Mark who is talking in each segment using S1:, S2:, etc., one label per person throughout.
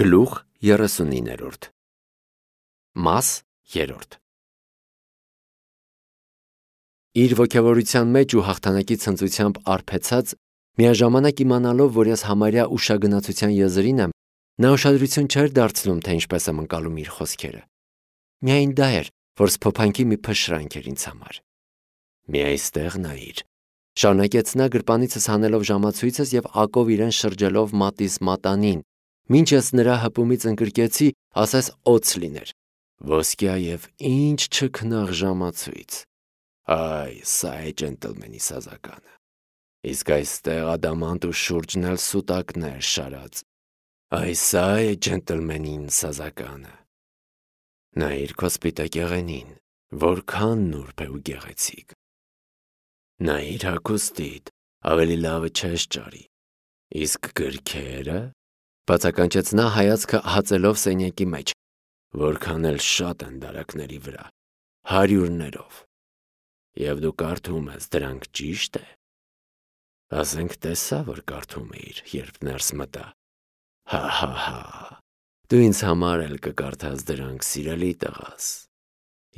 S1: Գլուխ 39 Մաս 3 Իր ոգևորության մեջ ու հաղթանակի ցնծությամբ արբեցած, միաժամանակ իմանալով, որ ես համարյա ուշագնացության եզրին եմ, նա ուշադրություն չէր դարձնում, թե ինչպես եմ ընկալում իր խոսքերը։ Միայն դա էր, որ սփոփանքի մի փշրանք էր ինձ համար։ Մի այստեղ նայիր, շարունակեց նա գրպանիցս հանելով ժամացույցս եւ ակով իրեն շրջելով մատիս մատանին, մինչ ես նրա հպումից ընկրկեցի, ասես օձ լիներ։ Ոսկյա եւ ինչ չքնաղ ժամացույց։ Այ, սա է ջենտլմենի սազականը։ Իսկ այստեղ ադամանտ ու շուրջն էլ սուտակներ շարած։ Այ, սա է ջենտլմենին սազականը։ Նայիր քո սպիտակ եղենին, որքան նուրբ է ու գեղեցիկ։ Նայիր հագուստիդ, ավելի լավը չես ճարի։ Իսկ գրքերը, բացականչեց նա հայացքը հացելով սենյակի մեջ, որքան էլ շատ են դարակների վրա, հարյուրներով։ Եվ դու կարդում ես դրանք, ճիշտ է։ Ասենք տեսա, որ կարդում էիր, երբ ներս մտա։ Հա, դու ինձ համար էլ կկարդաս դրանք, սիրելի տղաս։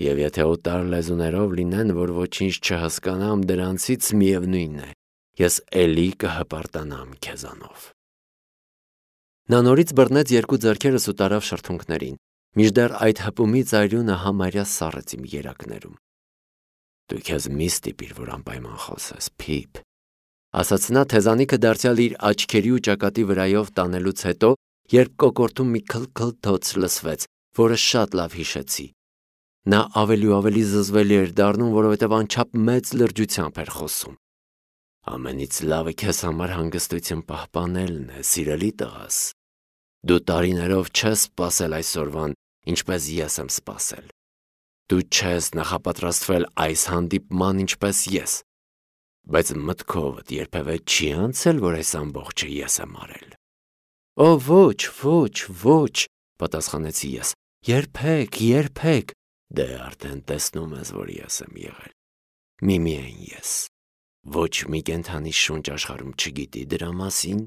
S1: Եվ եթե օտար լեզուներով լինեն, որ ոչինչ չհասկանամ, դրանցից միևնույն է, ես էլի կհպարտանամ քեզանով։ Նա նորից բռնեց երկու ձեռքերս ու տարավ շրթունքներին, մինչդեռ այդ հպումից արյունը համարյա սառեց իմ երակներում։ Դու քեզ մի ստիպիր, որ անպայման խոսես, Փիփ, ասաց նա թեզանիքը դարձյալ իր աչքերի ու ճակատի վրայով տանելուց հետո, երբ կոկորդում մի քլքլթոց լսվեց, որը շատ լավ հիշեցի։ Նա ավելի ու ավելի զզվելի էր դառնում, որովհետև անչափ մեծ լրջությամբ էր խոսում։ Ամենից լավը քեզ համար հանգստություն պահպանելն է, սիրելի տղաս։ Դու տարիներով չես սպասել այսօրվան, ինչպես ես եմ սպասել։ Դու չես նախապատրաստվել այս հանդիպման, ինչպես ես։ Բայց մտքովդ երբևէ չի անցել, որ այս ամբողջը ես եմ արել։ Օ, ոչ, պատասխանեցի ես։ Երբեք։ Դե արդեն տեսնում ես, որ ես եմ եղել։ Միայն ես։ Ոչ մի կենդանի շունչ աշխարհում չգիտի դրա մասին,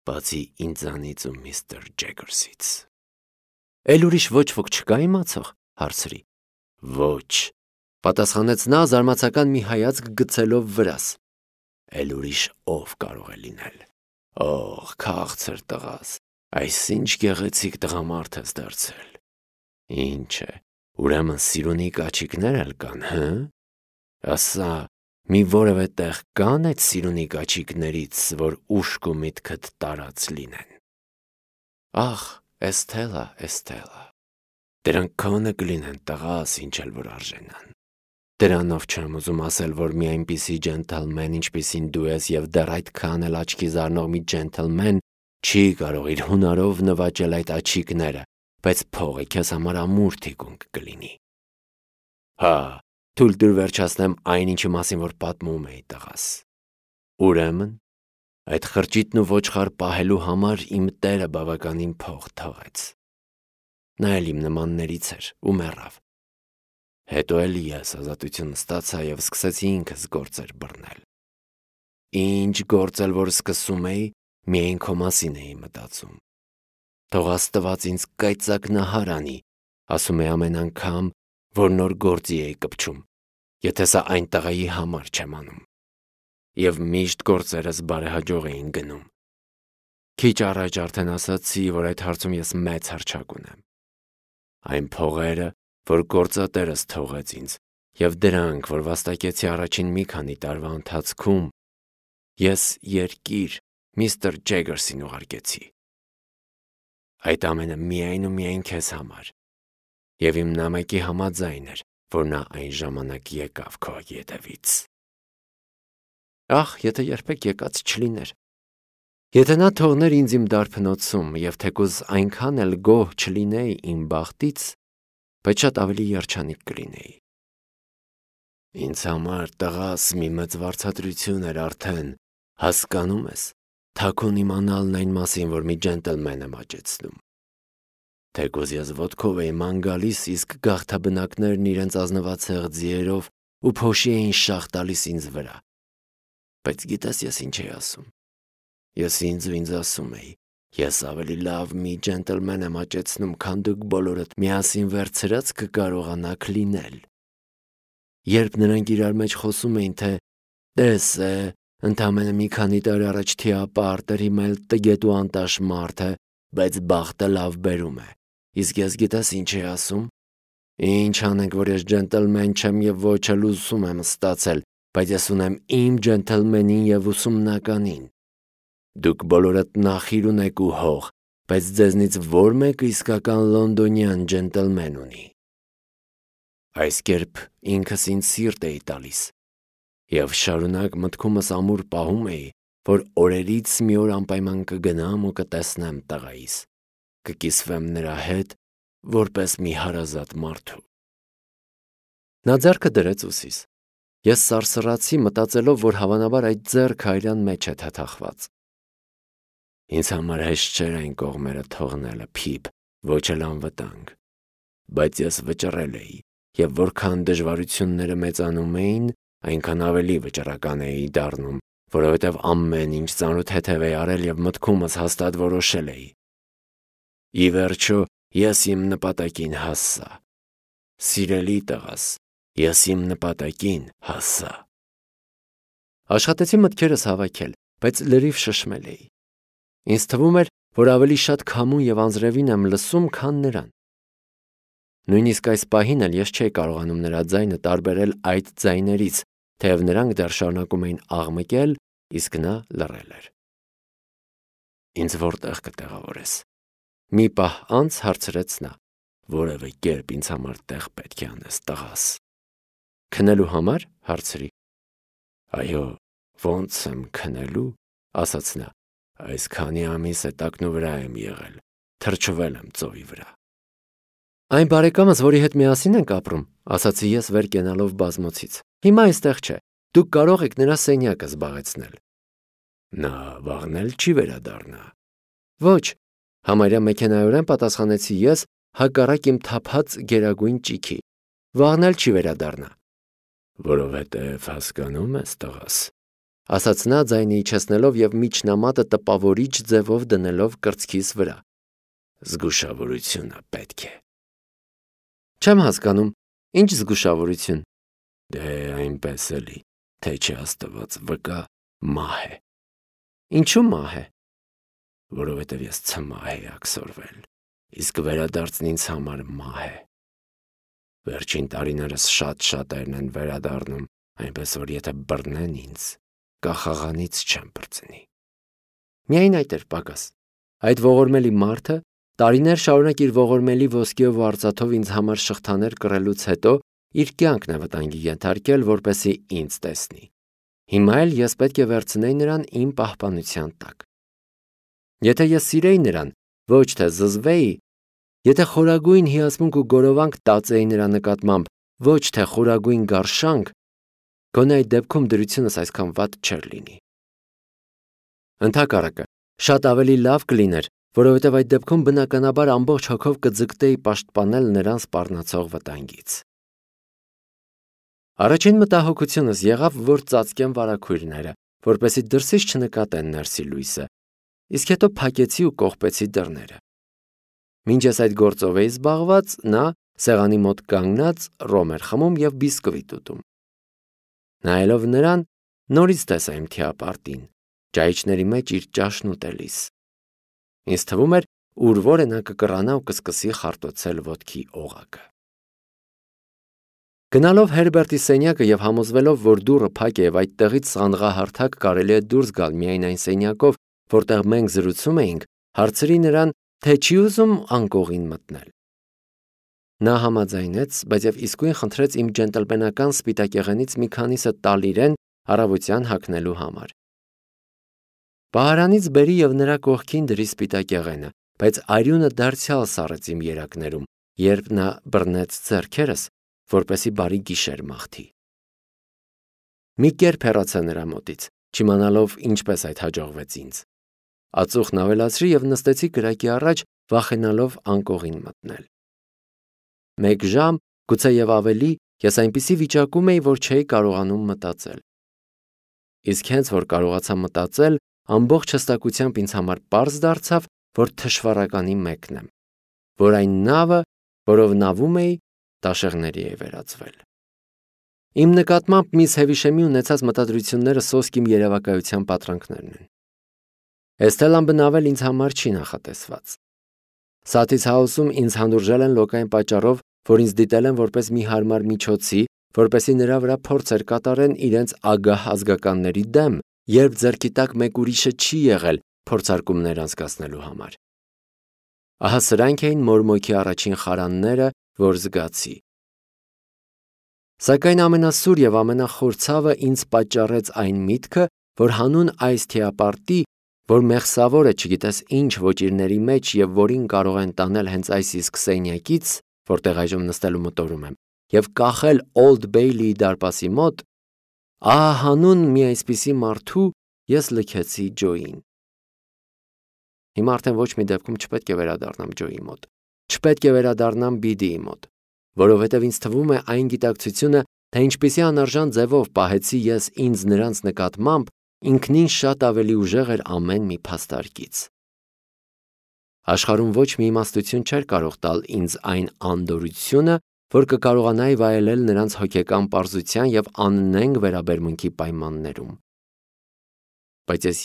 S1: բացի ինձանից ու միստր Ջեգերսից։ Էլ ուրիշ ոչ ոք չկա իմացող, հարցրի։ Ոչ, պատասխանեց նա զարմացական մի հայացք գցելով վրաս։ Էլ ուրիշ ով կարող է լինել։ Օհ, քաղցր տղաս, այսինչ գեղեցիկ տղամարդ ես դարձել։ Ինչ է, ուրեմն սիրունի կաչիկներ էլ կան, հը։ Ասա, մի որևէ տեղ կան այդ սիրունի կաչիկներից, որ ուշք ու միտքդ տարած լինեն։ Ախ, Էսթելա, դրանք քոնը կլինեն, տղաս, ինչ էլ որ արժենան։ Դրանով չեմ ուզում ասել, որ մի այնպիսի ջենտլմեն, ինչպիսին դու ես եւ դեռ այդքան էլ աչքի զարնող մի ջենտլմեն չի կարող իր հունարով նվաճել այդ աչիկները, բայց փողը քեզ համար ամուր թիկունք կլինի։ Հա, թույլ տուր վերջացնեմ այն, ինչի մասին որ պատմում էի, տղաս։ Ուրեմն, այդ խրճիթն ու ոչխար պահելու համար իմ տերը բավականին փող թողեց։ Նա էլ իմ նմաններից էր ու մեռավ։ Հետո էլ ես ազատություն ստացա եւ սկսեցի ինքս գործեր բռնել։ Ինչ գործել որ սկսում էի, միայն քո մասին էի մտածում։ Թող Աստված ինձ կայծակնահար անի, ասում է ամեն անգամ, որ նոր գործի էի կպչում, եթե սա այն տղայի համար չեմ անում։ Եվ միշտ գործերս բարեհաջող էին գնում։ Քիչ առաջ արդեն ասացի, որ այդ հարցում ես մեծ հռչակ ունեմ։ Այն փողերը, որ գործատերս թողեց ինձ, եւ դրանք, որ վաստակեցի առաջին մի քանի տարվա ընթացքում, ես երկիր միստր Ջեգերսին ուղարկեցի։ Այդ ամենը միայն ու միայն քեզ համար։ Եվ իմ նամակի համաձայն էր, որ նա այն ժամանակ եկավ քո ետևից։ Ախ, եթե երբեք եկած չլիներ։ Եթե նա թողներ ինձ իմ դարբնոցում եւ թեկուզ այնքան էլ գոհ չլինեի իմ բախտից, բայց շատ ավելի երջանիկ կլինեի։ Ինձ համար տղաս մի մեծ վարձատրություն էր արդեն, հասկանում ես, թաքուն իմանալն այն մասին, որ մի ջենտլմեն եմ աճեցնում։ Թեկուզ ես ոտքով էի ման գալիս, իսկ գաղթաբնակներն իրենց ազնվացեղ ձիերով ու փոշի էին շաղ տալիս ինձ վրա։ Բայց գիտես ես ինչ էի ասում։ Ես ինձ ասում էի, Ես ավելի լավ մի ջենտլմեն եմ աճեցնում, քան դուք բոլորդ միասին վերցրած կկարողանաք լինել։ Երբ նրանք իրար մեջ խոսում էին, թե «Տես է, ընդամենը մի քանի տարի առաջ թիապարտ էր, հիմա էլ տգետ ու անտաշ մարդ է, բայց բախտը լավ բերում է։ Իսկ ես գիտես ինչ էի ասում։ Ինչ անենք, որ ես ջենտլմեն չեմ եւ ոչ էլ ուսում եմ ստացել, բայց ես ունեմ իմ ջենտլմենին եւ ուսումնականին։ Դուք բոլորդ նախիր ունեք ու հող, բայց ձեզնից որ մեկը իսկական լոնդոնյան ջենտլմեն ունի։ Այս կերպ ինքս ինձ սիրտ էի տալիս եւ շարունակ մտքումս ամուր պահում էի, որ օրերից մի օր անպայման կգնամ ու կտեսնեմ տղայիս, կկիսվեմ նրա հետ որպես մի հարազատ մարդու։ Նա ձեռքը դրեց ուսիս։ Ես սարսռացի, մտածելով, որ հավանաբար այդ ձեռքը այրան մեջ է թաթախված։ Ինձ համար հեշտ չէր այն կողմերը թողնելը, փիփ, ոչ էլ անվտանգ, բայց ես վճռել էի, եւ որքան դժվարությունները մեծանում էին, այնքան ավելի վճռական էի դառնում, որովհետև ամեն ինչ ծանոթ-թեթև էի արել եւ մտքումս հաստատ որոշել էի։ Ի վերջո, ես իմ նպատակին հասա։ Սիրելի տղաս, ես իմ նպատակին հասա։ Աշխատեցի մտքերս հավաքել, բայց լրիվ շշմել էի։ Ինձ թվում էր, որ ավելի շատ քամուն եւ անձրևին եմ լսում, քան նրան։ Նույնիսկ այս պահին էլ ես չէի կարողանում նրա ձայնը տարբերել այդ ձայներից, թեև նրանք դեռ շարունակում էին աղմկել, իսկ նա լռել էր։ Ինձ որտեղ կտեղավորես։ Մի պահ անց հարցրեց նա. որևէ կերպ ինձ համար տեղ պետք է անես, տղաս։ Քնելու համար, հարցրի։ Այո, ոնց եմ քնելու, ասաց նա։ Այս քանի ամիս տակնու վրա եմ եղել, թրջվել եմ ծովի վրա։ Այն բարեկամս, որի հետ միասին ենք ապրում, ասացի ես վեր կենալով բազմոցից։ Հիմա այստեղ չէ, դուք կարող եք նրա սենյակը զբաղեցնել։ Նա վաղնել չի վերադառնա։ Ոչ, համարյա մեքենայորեն պատասխանեցի ես, հակառակ իմ թափած գերագույն ճիքի։ Վաղնել չի վերադառնա։ Որովհետև հասկանում ես, տղաս, ասաց նա ձայնը իջեցնելով եւ միջնամատը տպավորիչ ձևով դնելով կրծքիս վրա։ Զգուշավորությունը պետք է։ Չեմ հասկանում, ինչ զգուշավորություն։ Դե այնպես էլի, թե չի աստված վկա, մահ է։ Ինչու մահ է։ Որովհետև ես ցմահ էի աքսորվել, իսկ վերադարձն ինձ համար մահ է։ Վերջին տարիներս շատ-շատերն են վերադառնում, այնպես որ եթե բռնեն ինձ, կախաղանից չեմ բրծնի։ Միայն այդ էր պակաս։ Այդ ողորմելի մարդը տարիներ շարունակ իր ողորմելի ոսկեով ու արծաթով ինձ համար շղթաներ կռելուց հետո իր կյանքն է վտանգի ենթարկել, որպեսզի ինձ տեսնի։ Հիմա էլ ես պետք է վերցնեի նրան իմ պահպանության տակ։ Եթե ես սիրեի նրան, ոչ թե զզվեի, եթե խորագույն հիացմունք ու գորովանք տածեի նրա նկատմամբ, ոչ թե խորագույն գարշանք, գոնե այդ դեպքում դրությունս այսքան վատ չէր լինի։ Ընդհակառակը, շատ ավելի լավ կլիներ, որովհետև այդ դեպքում բնականաբար ամբողջ հոգով կձգտեի պաշտպանել նրան սպառնացող վտանգից։ Առաջին մտահոգությունս եղավ, որ ծածկեմ վարագույրները, որպեսզի դրսից չնկատեն ներսի լույսը, իսկ հետո փակեցի ու կողպեցի դռները։ Մինչ ես այդ գործով էի զբաղված, նա սեղանի մոտ կանգնած ռոմ էր խմում եւ բիսկվիտ ուտում։ Նայելով նրան, նորից տեսա իմ թիապարտին, ճայիչների մեջ իր ճաշն ուտելիս։ Ինձ թվում էր, ուր որը նա կկռանա ու կսկսի խարտոցել ոտքի օղակը։ Գնալով Հերբերտի սենյակը եւ համոզվելով, որ դուռը փակ է եւ այդտեղից սանդղահարթակ կարելի է դուրս գալ միայն այն սենյակով, որտեղ մենք զրուցում էինք, հարցրի նրան, թե չի ուզում անկողին մտնել։ Նա համաձայնեց, բայց եւ իսկույն խնդրեց իմ ջենտլմենական սպիտակեղենից մի քանիսը տալ իրեն առավոտյան հագնելու համար։ Պահարանից բերի եւ նրա կողքին դրի սպիտակեղենը, բայց արյունը դարձյալ սառեց իմ երակներում, երբ նա բռնեց ձեռքերս, որպեսի բարի գիշեր մաղթի։ Մի կերպ հեռացա նրա մոտից, չիմանալով ինչպես այդ հաջողվեց ինձ։ Ածուխն ավելացրի եւ նստեցի կրակի առաջ, վախենալով անկողին մտնել։ Մեկ ժամ, գուցե եւ ավելի, ես այնպիսի վիճակում էի, որ չէի կարողանում մտածել։ Իսկ հենց որ կարողացա մտածել, ամբողջ հստակությամբ ինձ համար պարզ դարձավ, որ թշվառականի մեկն եմ, որ այն նավը, որով նավում էի, տաշեղների է վերածվել։ Իմ նկատմամբ միս Հևիշեմի ունեցած մտադրությունները սոսկ իմ երևակայության պատրանքներն են։ Էստելան բնավել ինձ համար չի նախատեսված։ Սաթից հաուսում ինձ հանդուրժել են լոկային պատճառով, որ ինձ դիտել են որպես մի հարմար միջոցի, որպեսզի նրա վրա փորձեր կատարեն իրենց ագահ ազգականների դեմ, երբ ձեռքի տակ մեկ ուրիշը չի եղել փորձարկումներ անցկացնելու համար։ Ահա սրանք էին մորմոքի առաջին խարանները, որ զգացի։ Սակայն ամենասուր եւ ամենախոր ցավը ինձ պատճառեց այն միտքը, որ հանուն այս թեապարտի, որ մեղսավորը չգիտես ինչ ոճիրների մեջ եւ որին կարող են տանել հենց այս իսկ սենյակից, որտեղ այժմ նստելու մտորում եմ, եւ կախել Օլդ Բեյլիի դարպասի մոտ, ահա հանուն մի այսպիսի մարդու ես լքեցի Ջոյին։ Հիմա արդեն ոչ մի դեպքում չպետք է վերադառնամ Ջոյի մոտ, չպետք է վերադառնամ Բիդիի մոտ, որովհետև ինձ թվում է այն գիտակցությունը, թե ինչպիսի անարժան ձևով պահեցի ես ինձ նրանց նկատմամբ, ինքնին շատ ավելի ուժեղ էր ամեն մի փաստարկից։ Աշխարհում ոչ մի իմաստություն չէր կարող տալ ինձ այն անդորրությունը, որ կկարողանայի վայելել նրանց հոգեկան պարզության եւ աննենգ վերաբերմունքի պայմաններում։ Բայց ես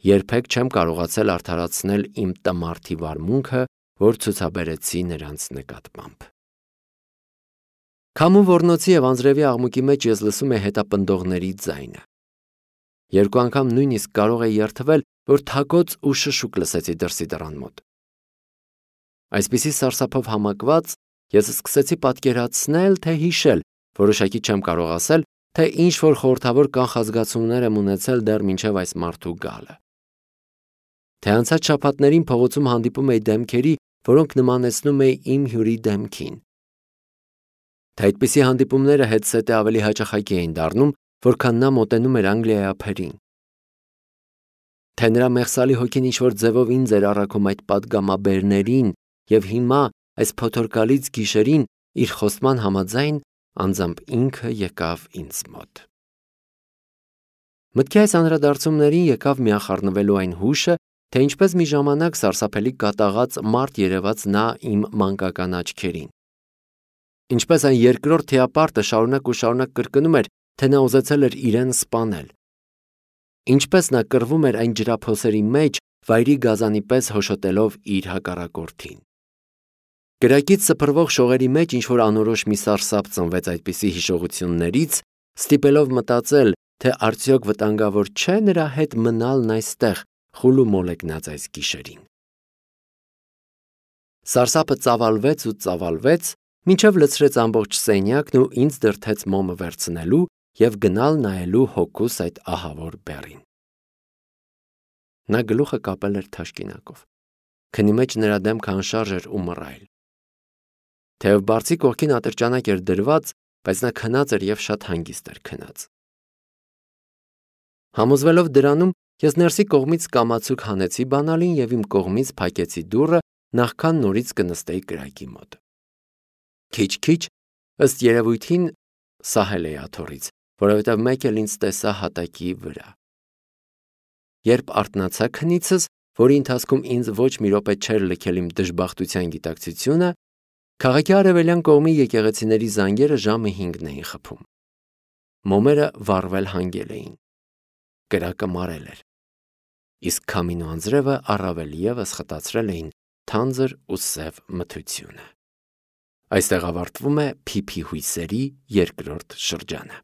S1: երբեք չեմ կարողացել արդարացնել իմ տմարդի վարմունքը, որ ցուցաբերեցի նրանց նկատմամբ։ Քամու ոռնոցի եւ անձրևի աղմուկի մեջ ես լսում եմ հետապնդողների ձայնը։ Երկու անգամ նույնիսկ կարող էի երթվել, որ թակոց ու շշուկ լսեցի դրսի դռան մոտ։ Այսպիսի սարսափով համակված ես սկսեցի պատկերացնել, թե հիշել, որոշակի չեմ կարող ասել, թե ինչ որ խորհրդավոր կանխազգացումներ եմ ունեցել դեռ մինչև այս մարդու գալը։ Թե անցած շաբաթներին փողոցում հանդիպում էի դեմքերի, որոնք նմանեցնում էի իմ հյուրի դեմքին։ Թե այդպիսի հանդիպումները հետսետե ավելի հաճախակի էին դառնում, որքան նա մոտենում էր Անգլիայի ափերին։ Թե նրա մեղսալի հոգին ինչ-որ ձևով ինձ էր առաքում այդ պատգամաբերներին եւ հիմա այս փոթորկալից գիշերին իր խոստման համաձայն անձամբ ինքը եկավ ինձ մոտ։ Մտքի այս անդրադարձումներին եկավ միախառնվելու այն հուշը, թե ինչպես մի ժամանակ սարսափելի կատաղած մարդ երևաց նա իմ մանկական աչքերին։ Ինչպես այն երկրորդ թեապարտը շարունակ կրկնում էր, թե նա ուզեցել էր իրեն սպանել։ Ինչպես նա կռվում էր այն ջրափոսերի մեջ, վայրի գազանի պես հոշոտելով իր հակառակորդին։ Կրակից սփռվող շողերի մեջ ինչ-որ անորոշ մի սարսափ ծնվեց այդպիսի հիշողություններից, ստիպելով մտածել, թե արդյոք վտանգավոր չէ նրա հետ մնալն այստեղ, խուլ ու մոլեգնած այս գիշերին։ Սարսափը ծավալվեց, մինչև լցրեց ամբողջ սենյակն ու ինձ դրդեց մոմը վերցնելու եւ գնալ նայելու հոգուս այդ ահավոր բեռին։ Նա գլուխը կապել էր թաշկինակով։ Քնի մեջ նրա դեմքը անշարժ էր ու մռայլ։ Թեև բարձի կողքին ատրճանակ էր դրված, բայց նա քնած էր եւ շատ հանգիստ էր քնած։ Համոզվելով դրանում, ես ներսի կողմից կամացուկ հանեցի բանալին եւ իմ կողմից փակեցի դուռը, նախքան նորից կնստեի կրակի մոտ։ Քիչ-քիչ, ըստ երևույթին, սահել էի աթոռից, որովհետև մեկ էլ ինձ տեսա հատակի վրա։ Երբ արթնացա քնիցս, որի ընթացքում ինձ ոչ մի րոպե չէր լքել իմ դժբախտության գիտակցությունը, քաղաքի արևելյան կողմի եկեղեցիների զանգերը ժամը 5-ն էին խփում։ Մոմերը վառվել հանգել էին։ Կրակը մարել էր։ Իսկ քամին ու անձրևը առավել ևս խտացրել էին թանձր ու սև մթությունը։ Այստեղ ավարտվում է Փիփի հույսերի երկրորդ շրջանը։